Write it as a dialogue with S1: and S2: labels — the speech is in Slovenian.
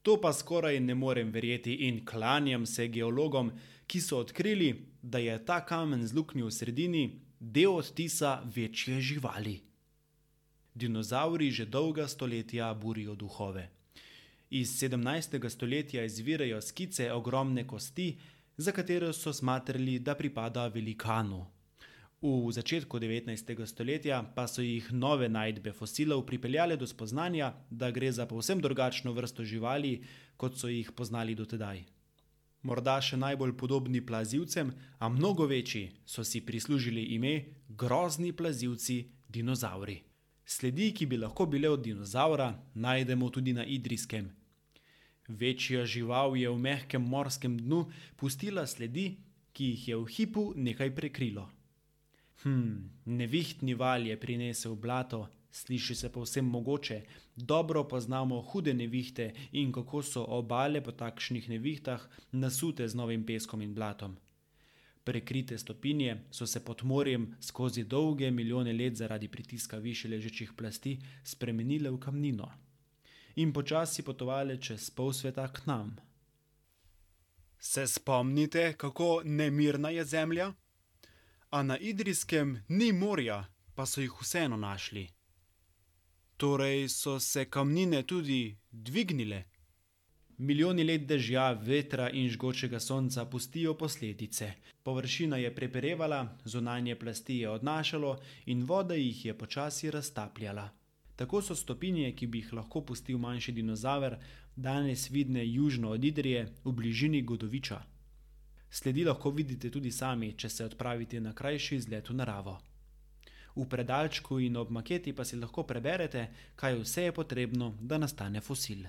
S1: To pa skoraj ne morem verjeti in klanjam se geologom, ki so odkrili, da je ta kamen z luknjo v sredini del odtisa večje živali. Dinozavri že dolga stoletja burijo duhove. Iz 17. stoletja izvirajo skice ogromne kosti, za katero so smatrali, da pripada velikanu. V začetku 19. stoletja pa so jih nove najdbe fosilov pripeljale do spoznanja, da gre za povsem drugačno vrsto živali, kot so jih poznali dotedaj. Morda še najbolj podobni plazivcem, a mnogo večji, so si prislužili ime grozni plazivci dinozavri. Sledi, ki bi lahko bile od dinozavra, najdemo tudi na Idrijskem. Večja žival je v mehkem morskem dnu pustila sledi, ki jih je v hipu nekaj prekrilo. Nevihtni val je prinesel blato, sliši se povsem mogoče, dobro poznamo hude nevihte in kako so obale po takšnih nevihtah nasute z novim peskom in blatom. Prekrite stopinje so se pod morjem skozi dolge milijone let zaradi pritiska višje ležečih plasti spremenile v kamnino in počasi potovale čez pol sveta k nam. Se spomnite, kako nemirna je zemlja? A na Idrijskem ni morja, pa so jih vseeno našli. Torej so se kamnine tudi dvignile. Milijoni let dežja, vetra in žgočega sonca pustijo posledice. Površina je preperevala, zunanje plasti je odnašalo in voda jih je počasi raztapljala. Tako so stopinje, ki bi jih lahko pustil manjši dinozaver, danes vidne južno od Idrije v bližini Godoviča. Sledi lahko vidite tudi sami, če se odpravite na krajši izlet v naravo. V predalčku in ob maketi pa si lahko preberete, kaj vse je potrebno, da nastane fosil.